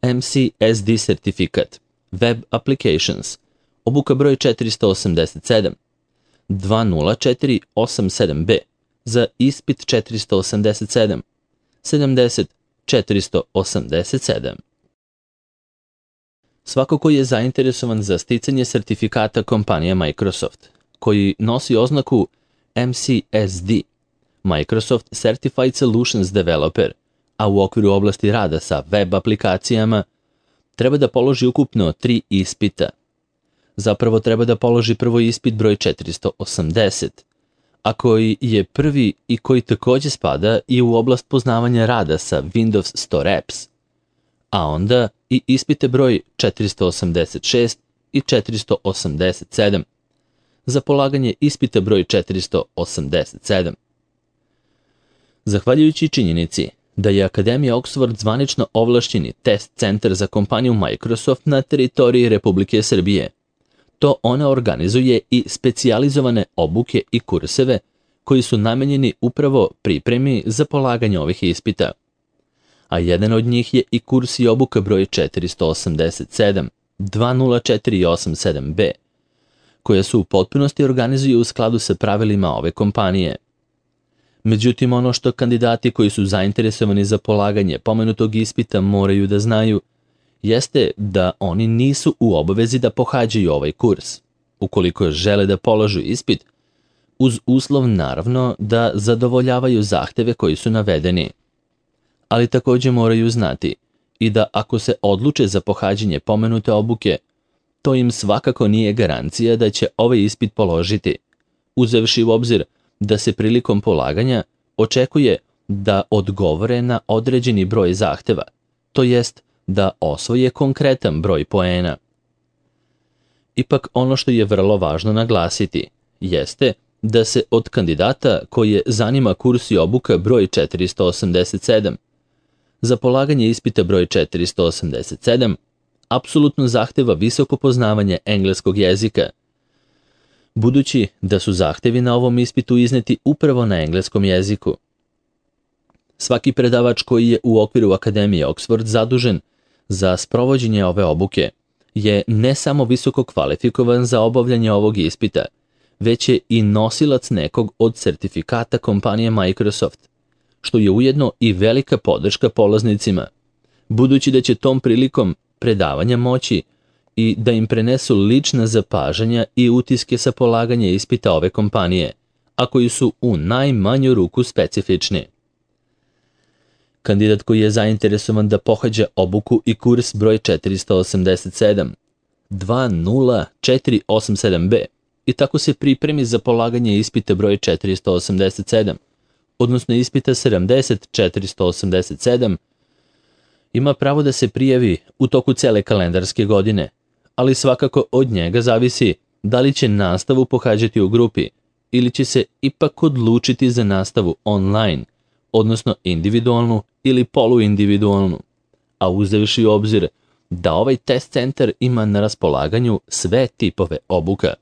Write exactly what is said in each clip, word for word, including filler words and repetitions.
M C S D sertifikat, Web Applications, obuka broj četiristo osamdeset sedam, dva nula četiri osam sedam B, za ispit četiristo osamdeset sedam, sedamdeset četiristo osamdeset sedam. Svako ko je zainteresovan za sticanje sertifikata kompanije Microsoft, koji nosi oznaku M C S D, Microsoft Certified Solutions Developer, a u okviru oblasti rada sa web aplikacijama, treba da položi ukupno tri ispita. Zapravo treba da položi prvo ispit broj četiristo osamdeset, a koji je prvi i koji takođe spada i u oblast poznavanja rada sa Windows Store Apps, a onda i ispite broj četiristo osamdeset šest i četiristo osamdeset sedam, za polaganje ispita broj četiristo osamdeset sedam. Zahvaljujući činjenici da je Akademija Oxford zvanično ovlašćeni test centar za kompaniju Microsoft na teritoriji Republike Srbije, to ona organizuje i specijalizovane obuke i kurseve koji su namenjeni upravo pripremi za polaganje ovih ispita. A jedan od njih je i kurs i obuka broj četiristo osamdeset sedam, dva nula četiri osam sedam B, koja su u potpunosti organizuju u skladu sa pravilima ove kompanije. Međutim, ono što kandidati koji su zainteresovani za polaganje pomenutog ispita moraju da znaju, jeste da oni nisu u obavezi da pohađaju ovaj kurs, ukoliko žele da polažu ispit, uz uslov naravno da zadovoljavaju zahteve koji su navedeni. Ali takođe moraju znati i da ako se odluče za pohađanje pomenute obuke, to im svakako nije garancija da će ovaj ispit položiti, uzevši u obzir da se prilikom polaganja očekuje da odgovore na određeni broj zahteva, to jest da osvoje konkretan broj poena. Ipak ono što je vrlo važno naglasiti jeste da se od kandidata koje zanima kurs i obuka broj četiristo osamdeset sedam, za polaganje ispita broj četiristo osamdeset sedam apsolutno zahteva visoko poznavanje engleskog jezika, budući da su zahtevi na ovom ispitu izneti upravo na engleskom jeziku. Svaki predavač koji je u okviru Akademije Oxford zadužen za sprovođenje ove obuke je ne samo visoko kvalifikovan za obavljanje ovog ispita, već je i nosilac nekog od sertifikata kompanije Microsoft, što je ujedno i velika podrška polaznicima, budući da će tom prilikom predavanja moći i da im prenesu lična zapažanja i utiske sa polaganja ispita ove kompanije, a koji su u najmanju ruku specifični. Kandidat koji je zainteresovan da pohađa obuku i kurs broj četiristo osamdeset sedam, dva nula četiri osam sedam B i tako se pripremi za polaganje ispita broj četiristo osamdeset sedam, odnosno ispita sedamdeset četiristo osamdeset sedam, ima pravo da se prijavi u toku cele kalendarske godine, ali svakako od njega zavisi da li će nastavu pohađati u grupi ili će se ipak odlučiti za nastavu online, odnosno individualnu ili poluindividualnu, a uzevši u obzir da ovaj test centar ima na raspolaganju sve tipove obuka.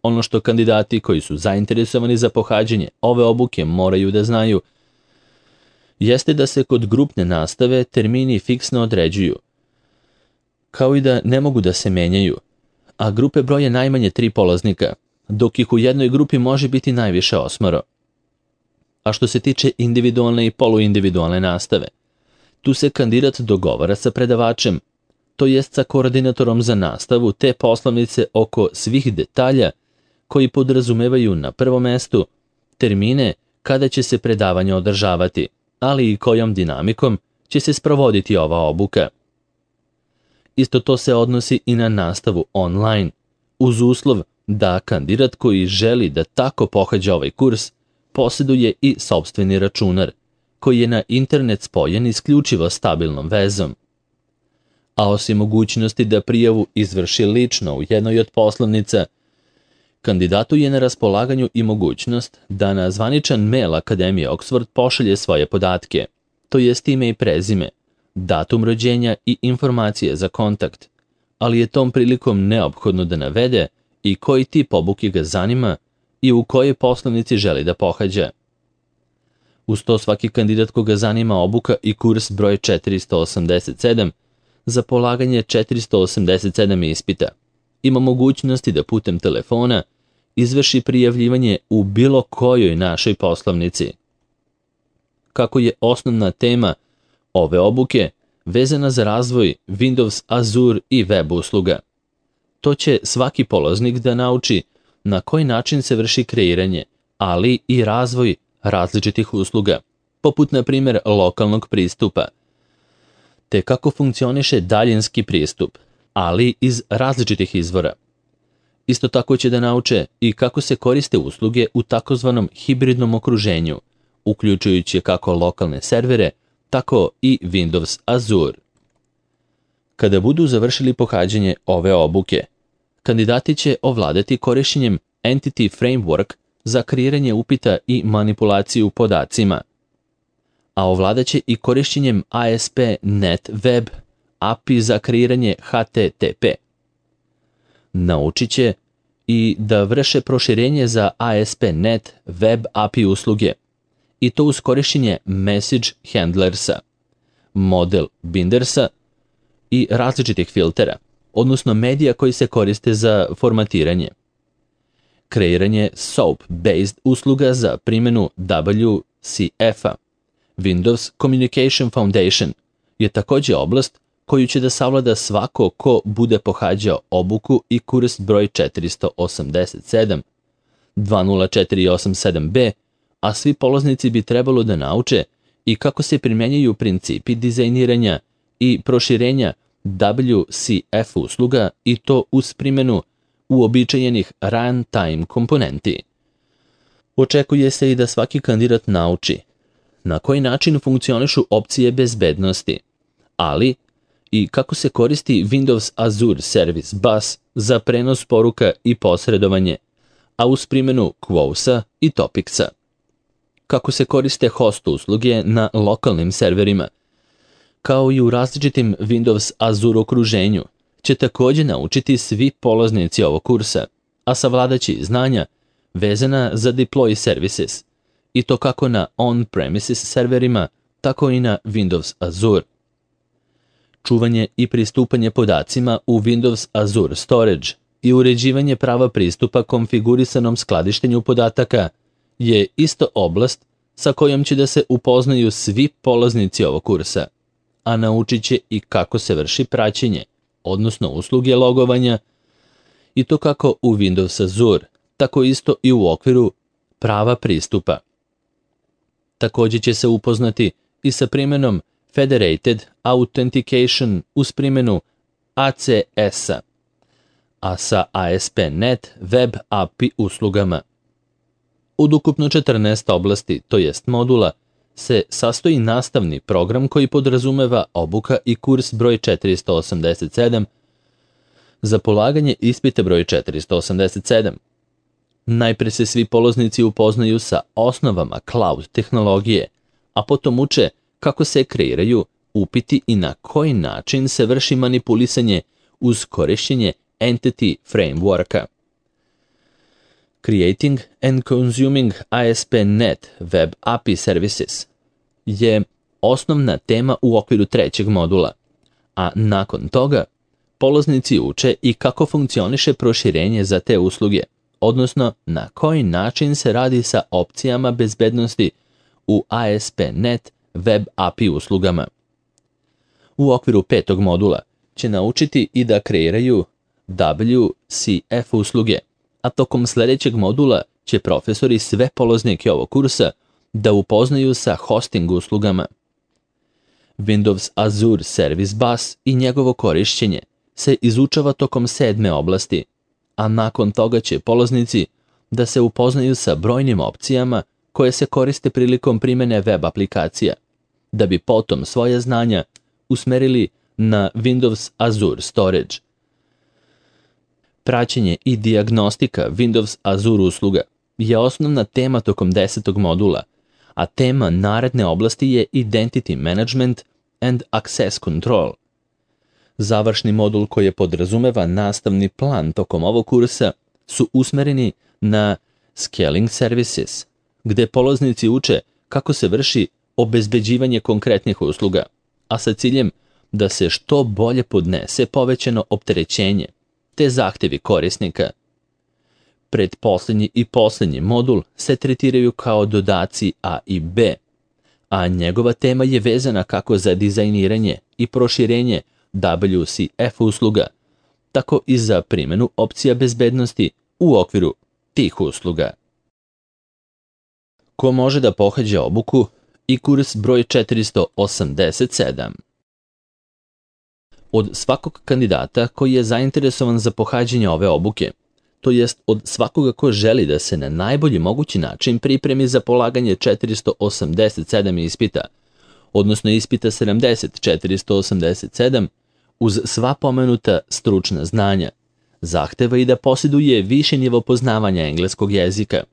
Ono što kandidati koji su zainteresovani za pohađanje ove obuke moraju da znaju jeste da se kod grupne nastave termini fiksno određuju, kao i da ne mogu da se menjaju, a grupe broje najmanje tri polaznika, dok ih u jednoj grupi može biti najviše osmoro. A što se tiče individualne i poluindividualne nastave, tu se kandidat dogovara sa predavačem, to jest sa koordinatorom za nastavu te poslovnice oko svih detalja koji podrazumevaju na prvom mestu termine kada će se predavanje održavati, ali i kojom dinamikom će se sprovoditi ova obuka. Isto to se odnosi i na nastavu online, uz uslov da kandidat koji želi da tako pohađa ovaj kurs posjeduje i sopstveni računar, koji je na internet spojen isključivo stabilnom vezom. A osim mogućnosti da prijavu izvrši lično u jednoj od poslovnica, kandidatu je na raspolaganju i mogućnost da na zvaničan mail Akademije Oxford pošalje svoje podatke, to jest ime i prezime, datum rođenja i informacije za kontakt, ali je tom prilikom neophodno da navede i koji tip obuke ga zanima i u kojoj poslovnici želi da pohađa. Uz to svaki kandidat koga zanima obuka i kurs broj četiristo osamdeset sedam za polaganje četiristo osamdeset sedam ispita ima mogućnosti da putem telefona izvrši prijavljivanje u bilo kojoj našoj poslovnici. Kako je osnovna tema ove obuke vezana za razvoj Windows, Azure i web usluga, to će svaki polaznik da nauči na koji način se vrši kreiranje, ali i razvoj različitih usluga, poput na primjer lokalnog pristupa, te kako funkcioniše daljinski pristup, ali iz različitih izvora. Isto tako će da nauče i kako se koriste usluge u takozvanom hibridnom okruženju, uključujući kako lokalne servere, tako i Windows Azure. Kada budu završili pohađanje ove obuke, kandidati će ovladati korišćenjem Entity Framework za kreiranje upita i manipulaciju podacima, a ovladaće i korišćenjem A S P punkt net Web A P I za kreiranje H T T P. Naučit će i da vrše proširenje za A S P punkt net Web A P I usluge, i to uz korišćenje Message Handlersa, Model Bindersa i različitih filtera, odnosno medija koji se koriste za formatiranje. Kreiranje SOAP-based usluga za primjenu W C F-a, Windows Communication Foundation, je također oblast koju će da savlada svako ko bude pohađao obuku i kurs broj četiristo osamdeset sedam dva nula četiri osam sedam B, a svi polaznici bi trebalo da nauče i kako se primjenjuju principi dizajniranja i proširenja W C F usluga, i to uz primjenu uobičajenih runtime komponenti. Očekuje se i da svaki kandidat nauči na koji način funkcionišu opcije bezbednosti, ali i kako se koristi Windows Azure Service Bus za prenos poruka i posredovanje, a uz primjenu Queuesa i Topicsa. Kako se koriste host usluge na lokalnim serverima, kao i u različitim Windows Azure okruženju, će također naučiti svi polaznici ovog kursa, a savladaći znanja vezana za deploy services, i to kako na on-premises serverima, tako i na Windows Azure. Čuvanje i pristupanje podacima u Windows Azure Storage i uređivanje prava pristupa konfigurisanom skladištenju podataka je isto oblast sa kojom će da se upoznaju svi polaznici ovog kursa, a naučit će i kako se vrši praćenje, odnosno usluge logovanja, i to kako u Windows Azure, tako isto i u okviru prava pristupa. Također će se upoznati i sa primjenom Federated Authentication uz primjenu A C S-a, a sa A S P punkt net Web A P I uslugama. Od ukupno četrnaest oblasti, to jest modula, se sastoji nastavni program koji podrazumeva obuka i kurs broj četiristo osamdeset sedam za polaganje ispita broj četiristo osamdeset sedam. Najpre se svi polaznici upoznaju sa osnovama cloud tehnologije, a potom uče kako se kreiraju upiti i na koji način se vrši manipulisanje uz korišćenje Entity Frameworka. Creating and Consuming A S P punkt net Web A P I Services je osnovna tema u okviru trećeg modula, a nakon toga polaznici uče i kako funkcioniše proširenje za te usluge, odnosno na koji način se radi sa opcijama bezbednosti u A S P punkt net Web A P I uslugama. U okviru petog modula će naučiti i da kreiraju W C F usluge, a tokom sljedećeg modula će profesori sve polaznike ovog kursa da upoznaju sa hosting uslugama. Windows Azure Service Bus i njegovo korišćenje se izučava tokom sedme oblasti, a nakon toga će polaznici da se upoznaju sa brojnim opcijama koje se koriste prilikom primjene web aplikacija, da bi potom svoje znanja usmerili na Windows Azure Storage. Praćenje i dijagnostika Windows Azure usluga je osnovna tema tokom desetog modula, a tema naredne oblasti je Identity Management and Access Control. Završni modul koji podrazumeva nastavni plan tokom ovog kursa su usmereni na Scaling Services, gde polaznici uče kako se vrši obezbeđivanje konkretnih usluga, a sa ciljem da se što bolje podnese povećano opterećenje te zahtevi korisnika. Pretposlednji i poslednji modul se tretiraju kao dodaci A i B, a njegova tema je vezana kako za dizajniranje i proširenje W C F usluga, tako i za primjenu opcija bezbednosti u okviru tih usluga. Ko može da pohađa obuku i kurs broj četiristo osamdeset sedam? Od svakog kandidata koji je zainteresovan za pohađanje ove obuke, to jest od svakoga ko želi da se na najbolji mogući način pripremi za polaganje četiristo osamdeset sedam ispita, odnosno ispita sedamdeset četiristo osamdeset sedam, uz sva pomenuta stručna znanja, zahteva i da posjeduje više nivo poznavanja engleskog jezika.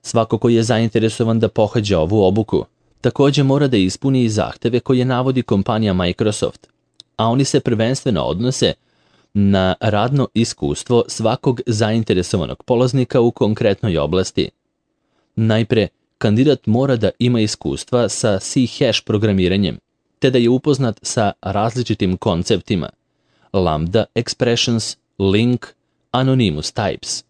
Svako ko je zainteresovan da pohađa ovu obuku, također mora da ispuni i zahteve koje navodi kompanija Microsoft, a oni se prvenstveno odnose na radno iskustvo svakog zainteresovanog polaznika u konkretnoj oblasti. Najpre, kandidat mora da ima iskustva sa C-hash programiranjem, te da je upoznat sa različitim konceptima Lambda expressions, link, anonymous types.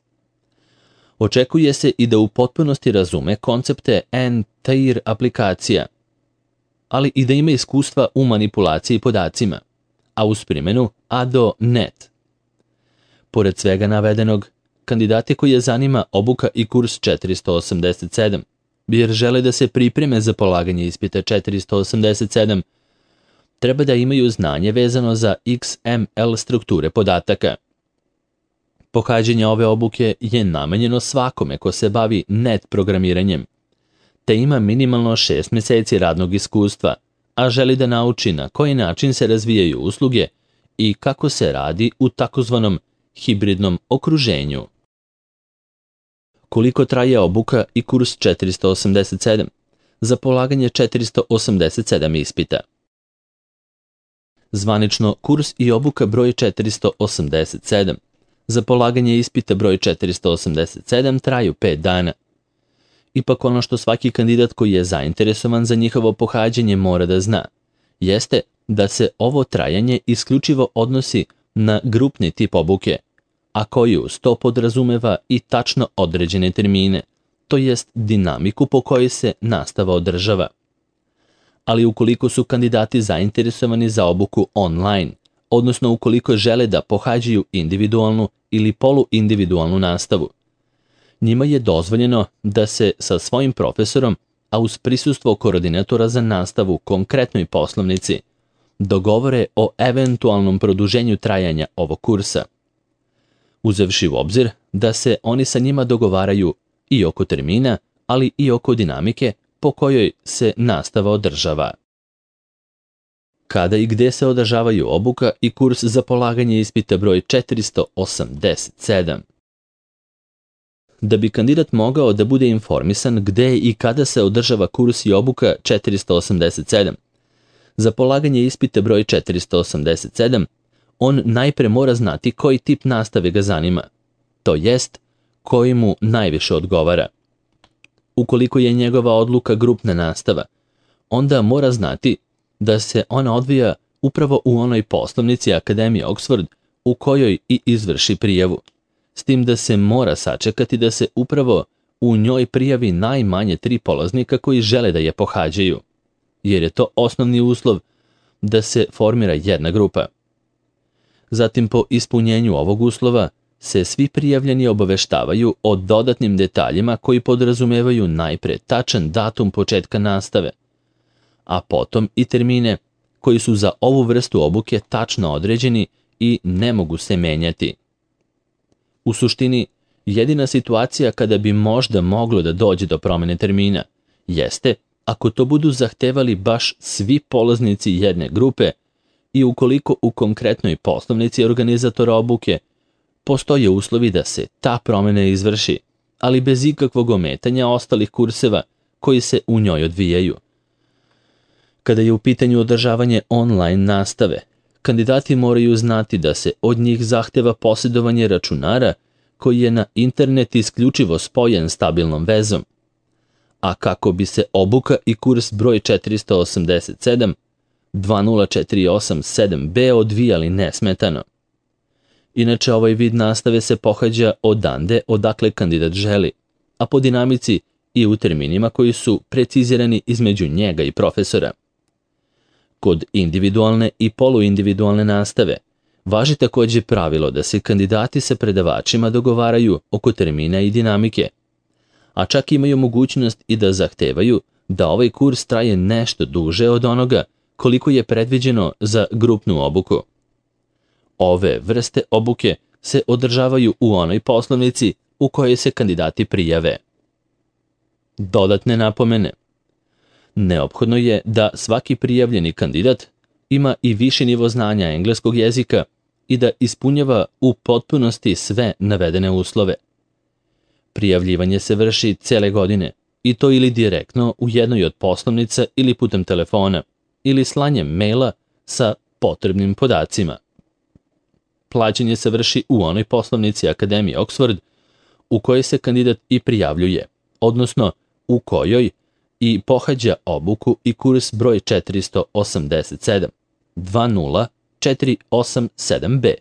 Očekuje se i da u potpunosti razume koncepte N-tier aplikacija, ali i da ima iskustva u manipulaciji podacima, a uz primjenu A D O punkt net. Pored svega navedenog, kandidati koji je zanima obuka i kurs četiristo osamdeset sedam, jer žele da se pripreme za polaganje ispita četiristo osamdeset sedam, treba da imaju znanje vezano za X M L strukture podataka. Pohađanje ove obuke je namenjeno svakome ko se bavi net programiranjem, te ima minimalno šest mjeseci radnog iskustva, a želi da nauči na koji način se razvijaju usluge i kako se radi u takozvanom hibridnom okruženju. Koliko traje obuka i kurs četiristo osamdeset sedam za polaganje četiristo osamdeset sedam ispita? Zvanično, kurs i obuka broj četiristo osamdeset sedam za polaganje ispita broj četiristo osamdeset sedam traju pet dana. Ipak ono što svaki kandidat koji je zainteresovan za njihovo pohađanje mora da zna, jeste da se ovo trajanje isključivo odnosi na grupni tip obuke, a koji uz to podrazumeva i tačno određene termine, to jest dinamiku po kojoj se nastava održava. Ali ukoliko su kandidati zainteresovani za obuku online, odnosno ukoliko žele da pohađaju individualnu ili poluindividualnu nastavu, njima je dozvoljeno da se sa svojim profesorom, a uz prisustvo koordinatora za nastavu konkretnoj poslovnici, dogovore o eventualnom produženju trajanja ovog kursa, uzevši u obzir da se oni sa njima dogovaraju i oko termina, ali i oko dinamike po kojoj se nastava održava. Kada i gde se održavaju obuka i kurs za polaganje ispita broj četiristo osamdeset sedam? Da bi kandidat mogao da bude informisan gde i kada se održava kurs i obuka četiristo osamdeset sedam, za polaganje ispita broj četiristo osamdeset sedam, on najpre mora znati koji tip nastave ga zanima, to jest koji mu najviše odgovara. Ukoliko je njegova odluka grupna nastava, onda mora znati da se ona odvija upravo u onoj poslovnici Akademije Oxford u kojoj i izvrši prijavu, s tim da se mora sačekati da se upravo u njoj prijavi najmanje tri polaznika koji žele da je pohađaju, jer je to osnovni uslov da se formira jedna grupa. Zatim, po ispunjenju ovog uslova, se svi prijavljeni obaveštavaju o dodatnim detaljima koji podrazumevaju najpre tačan datum početka nastave, a potom i termine koji su za ovu vrstu obuke tačno određeni i ne mogu se menjati. U suštini, jedina situacija kada bi možda moglo da dođe do promjene termina jeste ako to budu zahtevali baš svi polaznici jedne grupe i ukoliko u konkretnoj poslovnici organizatora obuke postoje uslovi da se ta promjena izvrši, ali bez ikakvog ometanja ostalih kurseva koji se u njoj odvijaju. Kada je u pitanju održavanje online nastave, kandidati moraju znati da se od njih zahteva posjedovanje računara koji je na internet isključivo spojen stabilnom vezom, a kako bi se obuka i kurs broj četiristo osamdeset sedam dva nula četiri osam sedam B odvijali nesmetano. Inače, ovaj vid nastave se pohađa odande odakle kandidat želi, a po dinamici i u terminima koji su precizirani između njega i profesora. Kod individualne i poluindividualne nastave važi takođe pravilo da se kandidati sa predavačima dogovaraju oko termina i dinamike, a čak imaju mogućnost i da zahtevaju da ovaj kurs traje nešto duže od onoga koliko je predviđeno za grupnu obuku. Ove vrste obuke se održavaju u onoj poslovnici u kojoj se kandidati prijave. Dodatne napomene. Neophodno je da svaki prijavljeni kandidat ima i viši nivo znanja engleskog jezika i da ispunjava u potpunosti sve navedene uslove. Prijavljivanje se vrši cele godine, i to ili direktno u jednoj od poslovnica ili putem telefona, ili slanjem maila sa potrebnim podacima. Plaćanje se vrši u onoj poslovnici Akademije Oxford u kojoj se kandidat i prijavljuje, odnosno u kojoj i pohađa obuku i kurs broj četiristo osamdeset sedam dva nula četiri osam sedam B.